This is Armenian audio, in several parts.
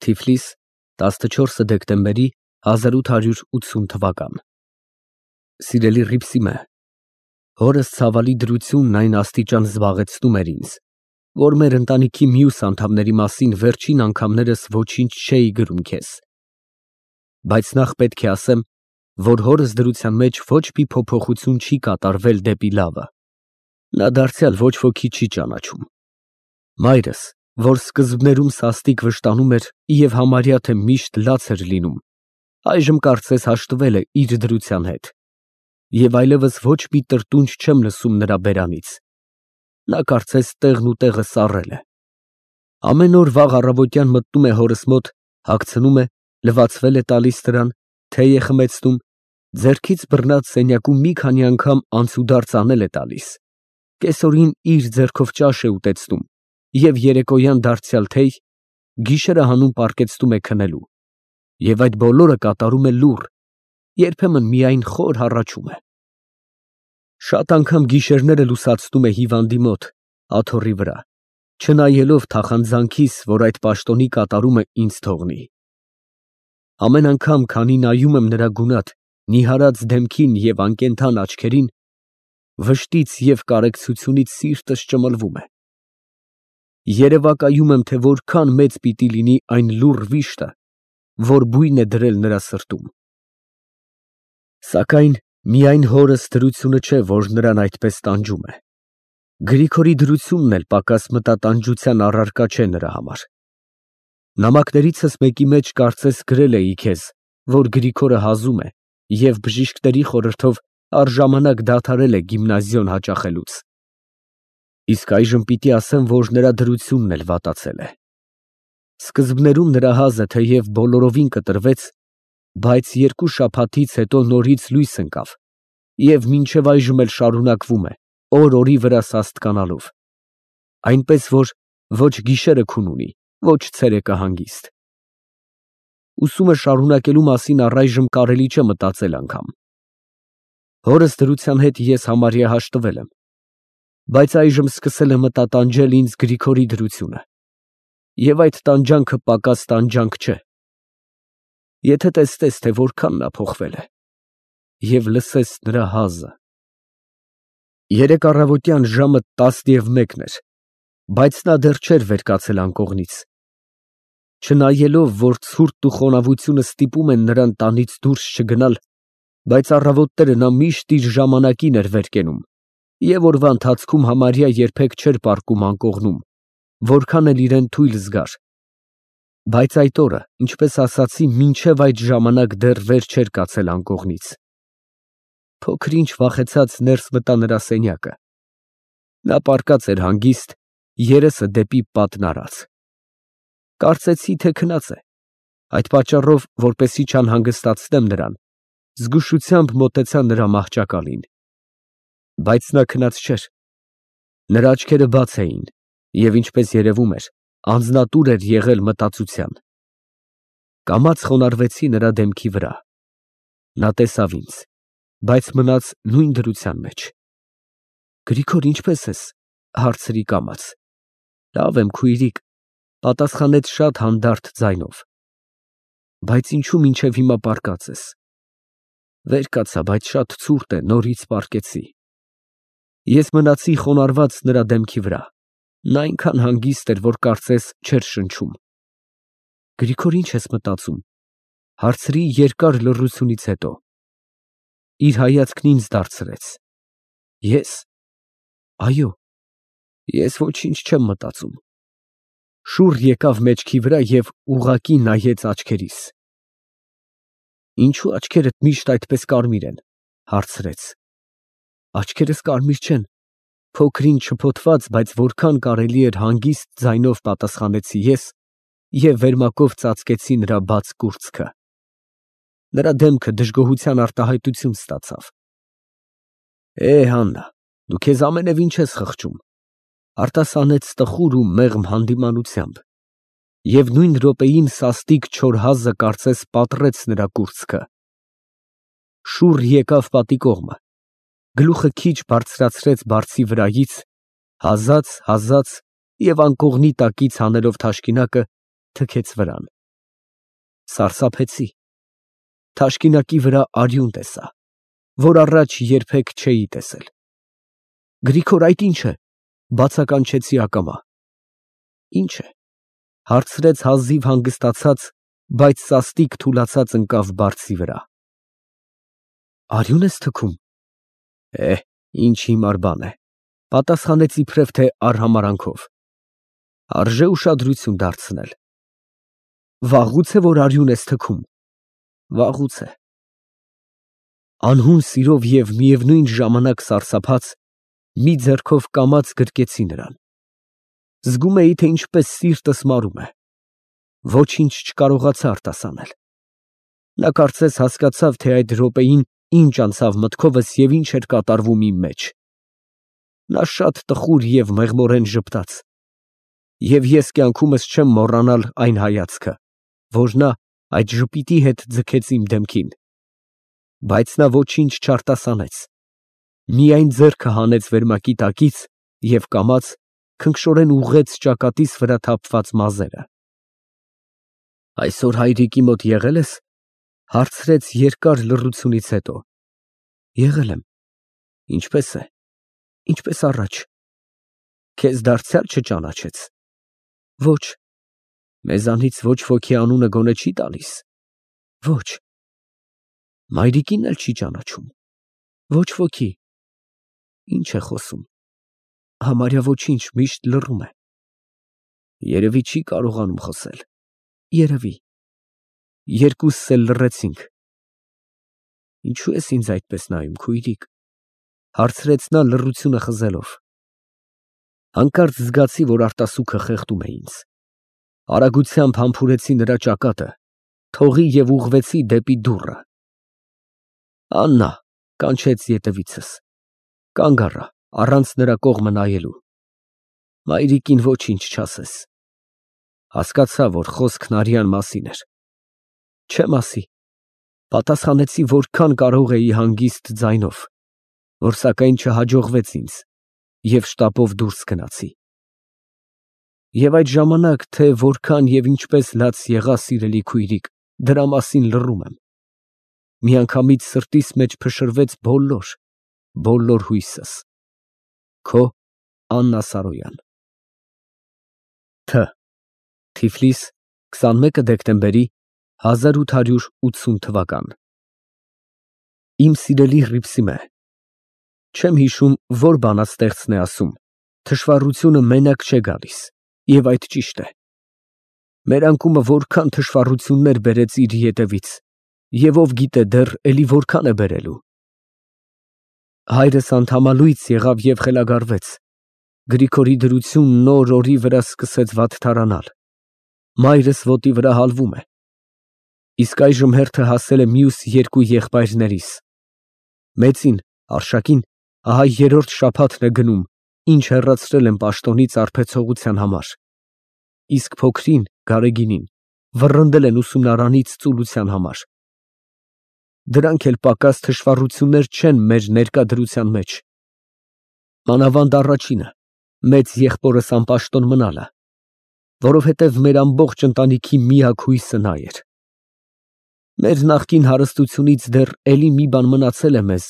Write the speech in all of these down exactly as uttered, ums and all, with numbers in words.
Թիֆլիս, տասնչորսը դեկտեմբերի հազար ութ հարյուր ութսուն թվական Սիրելի Հռիփսիմե, հորս ցավալի դրությունն այն աստիճան զբաղեցնում էր ինձ, որ մեր ընտանիքի մյուս անդամների մասին վերջին անգամներս ոչինչ չէի գրում քեզ, բայց նախ պետք է ասեմ, որ հորս դրության մեջ ոչ մի փոփոխություն չի կատարվել դեպի լավը, նա դարձյալ ոչ ոքի չի ճանաչում, մայրս, որ սկզբներում սաստիկ վշտանում էր և համարյա թե միշտ լաց էր լինում, այժմ կարծես հաշտվել է իր դրության հետ, և այլևս ոչ մի տրտունջ չեմ լսում նրա բերանից, նա կարծես տեղն ու տեղը սառել է, ամեն օր վաղ առավոտյան մտնում է հորս մոտ, հագցնում է, լվացվել է տալիս նրան, թեյ է խմեցնում, ձեռքից բռնած սենյակում մի քանի անգամ անցուդարձ անել է տալիս, կեսօրին իր ձեռքով ճաշ է ուտեցնում և երեկոյան դարձյալ թեյ, գիշերը հանում պառկեցնում է քնելու, և այդ բոլորը կատարում է լուռ, երբեմն միայն խոր հառաչում է։ Շատ անգամ գիշերները լուսացնում է հիվանդի մոտ, աթոռի վրա, չնայելով թախանձանքիս, որ այդ պաշտոնի կատարումը ինձ թողնի։ Ամեն անգամ, քանի նայում եմ նրա գունատ, նիհարած դեմքին և անկենդան աչքերին, վշտից և կարեկցությունից սիրտս ճմլվում է։ Երևակայում եմ, թե որքան մեծ պիտի լինի այն լուռ վիշտը, որ բույն է դրել նրա սրտում։ Սակայն միայն հորս դրությունը չէ, որ նրան այդպես տանջում է, Գրիգորի դրությունն էլ պակաս մտատանջության առարկա չէ նրա համար։ Նամակներիցս մեկի մեջ կարծես գրել էի քեզ, որ Գրիգորը հազում է և բժիշկների խորհրդով առժամանակ դադարել է գիմնազիոն հաճախելուց։ Իսկ այժմ պիտի ասեմ, որ նրա դրությունն էլ վատացել է։ Սկզբներում նրա հազը թեև բոլորովին կտրվեց, բայց երկու շաբաթից հետո նորից լույս ընկավ և մինչև այժմ էլ շարունակվում է, օր֊օրի վրա սաստկանալով, այնպես որ ոչ գիշերը քուն ունի, ոչ ցերեկը հանգիստ։ Ուսումը շարունակելու մասին առայժմ կարելի չէ մտածել անգամ։ Հորս դրության հետ ես համարյա հաշտվել եմ, բայց այժմ սկսել է մտատանջել ինձ Գրիգորի դրությունը, և այդ տանջանքը պակաս տանջանք չէ։ Եթե տեսնես, թե որքան նա փոխվել է, և լսես նրա հազը։ Երեկ առավոտյան ժամը տասնմեկն էր, բայց նա դեռ չէր վեր կացել անկողնից։ Չնայելով, որ ցուրտն ու խոնավությունը ստիպում են նրան տանից դուրս չգնալ, բայց առավոտները նա միշտ իր ժամանակին էր վեր կենում և օրվա ընթացքում համարյա երբեք չէր պառկում անկողնում, որքան էլ իրան թույլ զգար, բայց այդ օրը, ինչպես ասացի, մինչև այդ ժամանակ դեռ վեր չէր կացել անկողնից։ Փոքր-ինչ վախեցած ներս մտա նրա սենյակը։ Նա պառկած էր հանգիստ, երեսը դեպի պատն արած։ Կարծեցի, թե քնած է, այդ պատճառով, որպեսզի չանհանգստացնեմ նրան, զգուշությամբ մոտեցա նրա մահճակալին։ Բայց նա քնած չէր։ Նրա աչքերը բաց էին և, ինչպես երևում էր, անձնատուր էր եղել մտածության։ Կամաց խոնարհվեցի նրա դեմքի վրա։ Նա տեսավ ինձ, բայց մնաց նույն դրության մեջ։ Գրիգոր, ինչպե՞ս ես, հարցրի կամաց։ Լավ եմ, քույրիկ, պատասխանեց շատ հանդարտ ձայնով։ Բայց ինչո՞ւ մինչև հիմա պառկած ես։ Վեր կացա, բայց շատ ցուրտ է, նորից պառկեցի։ Ես մնացի խոնարհված նրա դեմքի վրա, նա այնքան հանգիստ էր, որ կարծես չէր շնչում։ Գրիգոր, ի՞նչ ես մտածում, հարցրի երկար լռությունից հետո։ Իր հայացքն ինձ դարձրեց։ Ես։ Այո, ես ոչինչ չեմ մտածում։ Շուռ եկավ մեջքի վրա և ուղղակի նայեց աչքերիս։ Ինչո՞ւ աչքերդ միշտ այդպես կարմիր են, հարցրեց։ Աչքերս կարմիր չեն, փոքր-ինչ շփոթված, բայց որքան կարելի էր հանգիստ ձայնով պատասխանեցի ես և վերմակով ծածկեցի նրա բաց կուրծքը։ Նրա դեմքը դժգոհության արտահայտություն ստացավ։ Է, Հաննա, դու քեզ ամենևին չես խղճում, արտասանեց տխուր ու մեղմ հանդիմանությամբ, և նույն րոպեին սաստիկ չոր հազը կարծես պատռեց նրա կուրծքը։ Շուռ եկավ պատի կողմը, գլուխը քիչ բարձրացրեց բարձի վրայից, հազաց, հազաց և անկողնի տակից հանելով թաշկինակը, թքեց վրան։ սարսափեցի։ Թաշկինակի վրա արյուն տեսա, որ առաջ երբեք չէի տեսել։ Գրիգոր, այդ ի՞նչ է, բացականչեցի ակամա։ Ի՞նչ է, հարցրեց հազիվ հանգստացած, բայց սաստիկ թուլացած ընկավ բարձի վրա։ Արյուն ես թքում։ Է, ինչ հիմար բան է, պատասխանեց իբրև թե արհամարանքով։ Արժե ուշադրություն դարձնել։ Վաղուց է, որ արյուն ես թքում։ Վաղուց է։ Անհուն սիրով և միևնույն ժամանակ սարսափած, մի ձեռքով կամաց գրկեցի նրան։ Զգում էի, թե ինչպես սիրտս մարում է։ Ոչինչ չկարողացա արտասանել։ Նա կարծես հասկացավ, թե այդ րոպեին ինչ անցավ մտքովս և ինչ էր կատարվում իմ մեջ։ Նա շատ տխուր և մեղմորեն ժպտաց, և ես կյանքումս չեմ մոռանալ այն հայացքը, որ նա այդ ժպիտի հետ ձգեց իմ դեմքին։ Բայց նա ոչինչ չարտասանեց, միայն ձեռքը հանեց վերմակի տակից և կամաց քնքշորեն ուղղեց ճակատիս վրա թափված մազերը։ Այսօր հայրիկի մոտ եղե՞լ ես, հարցրեց երկար լռությունից հետո։ Եղել եմ։ Ինչպե՞ս է, ինչպես առաջ։ Քեզ դարձյալ չճանաչեց։ Ոչ։ Մեզանից ոչ ոքի անունը գոնե չի տալիս։ Ոչ։ Մայրիկին էլ չի ճանաչում։ Ոչ ոքի։ Ինչ է խոսում։ Համարյա ոչինչ, միշտ լռում է։ Երևի չի կարողանում խոսել։ Երևի։ Երկուսս էլ լռեցինք։ Ինչո՞ւ ես ինձ այդպես նայում, քույրիկ, հարցրեց նա լռությունը խզելով։ Հանկարծ զգացի, որ արտասուքը խեղդում է ինձ։ Արագությամբ համբուրեցի նրա ճակատը, թողի և ուղղվեցի դեպի դուռը։ Աննա, կանչեց ետևիցս։ Կանգ առա, առանց նրա կողմը նայելու։ Մայրիկին ոչինչ չասես։ Հասկացա, որ խոսքն արյան մասին էր։ Չէ մասի, պատասխանեցի որքան կարող էի հանգիստ ձայնով, որ սակայն չհաջողվեց ինձ, և շտապով դուրս գնացի։ Եվ այդ ժամանակ, թե որքան և ինչպես լաց եղա, սիրելի քույրիկ, դրա մասին լռում եմ։ Միանգամից սրտիս մեջ փշրվեց բոլոր, բոլոր հույսս։ Քո Աննա Սարոյան։ Թ Թիֆլիս, քսանմեկը դեկտեմբերի հազար ութ հարյուր ութսուն թվական։ Իմ սիրելի Հռիփսիմե, չեմ հիշում, որ բանաստեղծն է ասում. թշվառությունը մենակ չէ գալիս, և այդ ճիշտ է։ Մեր անկումը որքան թշվառություններ բերեց իր ետևից, և ով գիտե դեռ էլի որքան է բերելու։ Հայրս անդամալույց եղավ և խելագարվեց։ Գրիգորի դրությունն օր֊օրի վրա սկսեց վատթարանալ։ Մայրս ոտի վրա հալվում է։ Իսկ այժմ հերթը հասել է մյուս երկու եղբայրներիս։ Մեծին, Արշակին, ահա երրորդ շաբաթն է գնում, ինչ հեռացրել են պաշտոնից արբեցողության համար, իսկ փոքրին, Գարեգինին, վռնդել են ուսումնարանից ծուլության համար։ Դրանք էլ պակաս թշվառություններ չեն մեր ներկա դրության մեջ։ Մանավանդ առաջինը, մեծ եղբորս անպաշտոն մնալը, որովհետև մեր ամբողջ ընտանիքի միակ հույսը նա էր։ Մեր նախկին հարստությունից դեռ էլի մի բան մնացել է մեզ,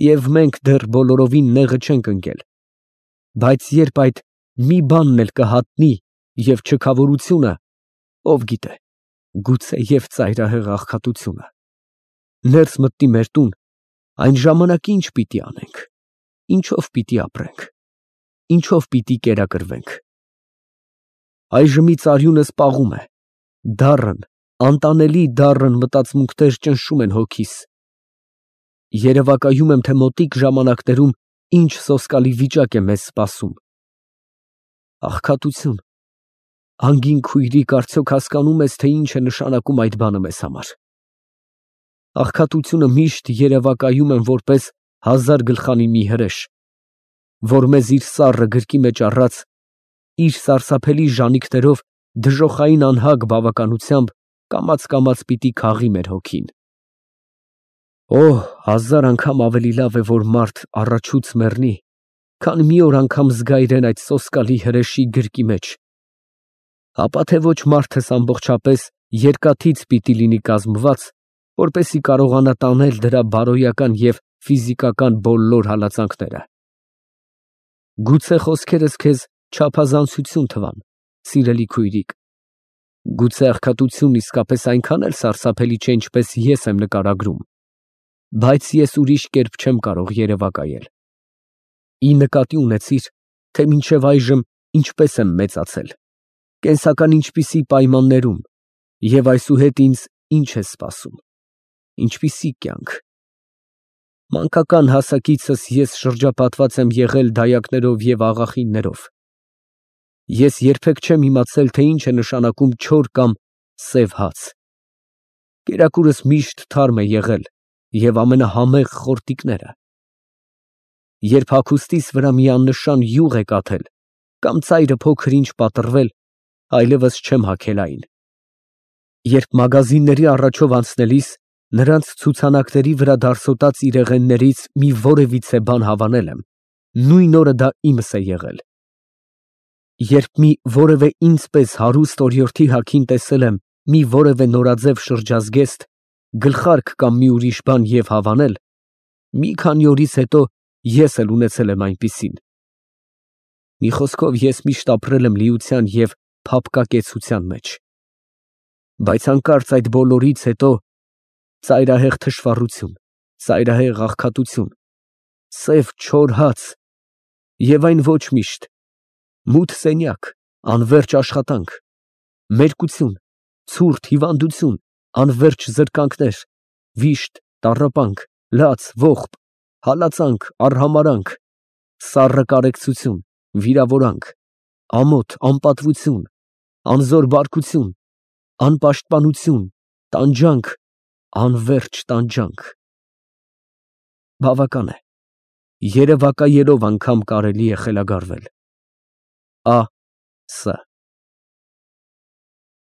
և մենք դեռ բոլորովին նեղը չենք ընկել, բայց երբ այդ մի բանն էլ կհատնի և չքավորությունը, ով գիտե, գուցե և ծայրահեղ աղքատությունը, ներս մտնի մեր տուն, այն ժամանակ ինչ պիտի անենք, ինչով պիտի ապրենք, ինչով պիտի կերակրվենք։ Այժմից արյունս պաղում է, դառն, անտանելի դառն մտածմունքներ ճնշում են հոգիս։ Երևակայում եմ, թե մոտիկ ժամանակներում ինչ սոսկալի վիճակ է մեզ սպասում։ Աղքատություն, անգին քույրիկ, արդյոք հասկանում ես, թե ինչ է նշանակում այդ բանը մեզ համար։ Աղքատությունը միշտ երևակայում եմ որպես հազար գլխանի մի հրեշ, որ մեզ իր սառը գրկի մեջ առած, իր սարսափելի ժանիքներով դժոխային անհագ բավականությամբ կամաց֊կամաց պիտի քաղի մեր հոգին։ Օ, հազար անգամ ավելի լավ է, որ մարդ առաջուց մեռնի, քան մի օր անգամ զգա իրեն այդ սոսկալի հրեշի գրկի մեջ, ապա թե ոչ մարդս ամբողջապես երկաթից պիտի լինի կազմված, որպեսզի կարողանա տանել դրա բարոյական և ֆիզիկական բոլոր հալածանքները։ Գուցե խոսքերս քեզ չափազանցություն թվան, սիրելի քույրիկ, գուցե աղքատությունն իսկապես այնքան էլ սարսափելի չէ, ինչպես ես եմ նկարագրում, բայց ես ուրիշ կերպ չեմ կարող երևակայել։ Ի նկատի ունեցիր, թե մինչև այժմ ինչպես եմ մեծացել, կենսական ինչպիսի պայմաններում և այսուհետ ինձ ինչ է սպասում, ինչպիսի կյանք։ Մանկական հասակիցս ես շրջապատված եմ եղել դայակներով և աղախիններով։ Ես երբեք չեմ իմացել, թե ինչ է նշանակում չոր կամ սև հաց։ Կերակուրս միշտ թարմ է եղել և ամենահամեղ խորտիկները։ Երբ հագուստիս վրա մի աննշան յուղ է կաթել կամ ծայրը փոքր-ինչ պատռվել, այլևս չեմ հագել այն։ Երբ մագազինների առաջով անցնելիս նրանց ցուցանակների վրա դարսոտած իրեղեններից մի որևիցե բան հավանել եմ, նույն օրը դա իմս է եղել։ Երբ մի որևէ ինձ պես հարուստ օրիորդի հագին տեսել եմ մի որևէ նորաձև շրջազգեստ, գլխարկ կամ մի ուրիշ բան և հավանել, մի քանի օրից հետո ես էլ ունեցել եմ այնպիսին։ Մի խոսքով, ես միշտ ապրել եմ լիության և փափկակեցության մեջ։ Բայց հանկարծ այդ բոլորից հետո ծայրահեղ թշվառություն, ծայրահեղ աղքատություն, սև չոր հաց և այն ոչ միշտ, մութ սենյակ, անվերջ աշխատանք, մերկություն, ցուրտ հիվանդություն, անվերջ զրկանքներ, վիշտ, տառապանք, լաց, ողբ, հալածանք, արհամարհանք, սառը կարեկցություն, վիրավորանք, ամոթ, անպատվություն, անզոր բարկություն, անպաշտպանություն, տանջանք, անվերջ տանջանք։ Բավական է, երևակայելով անգամ կարելի է խելագարվել։ Ա Ս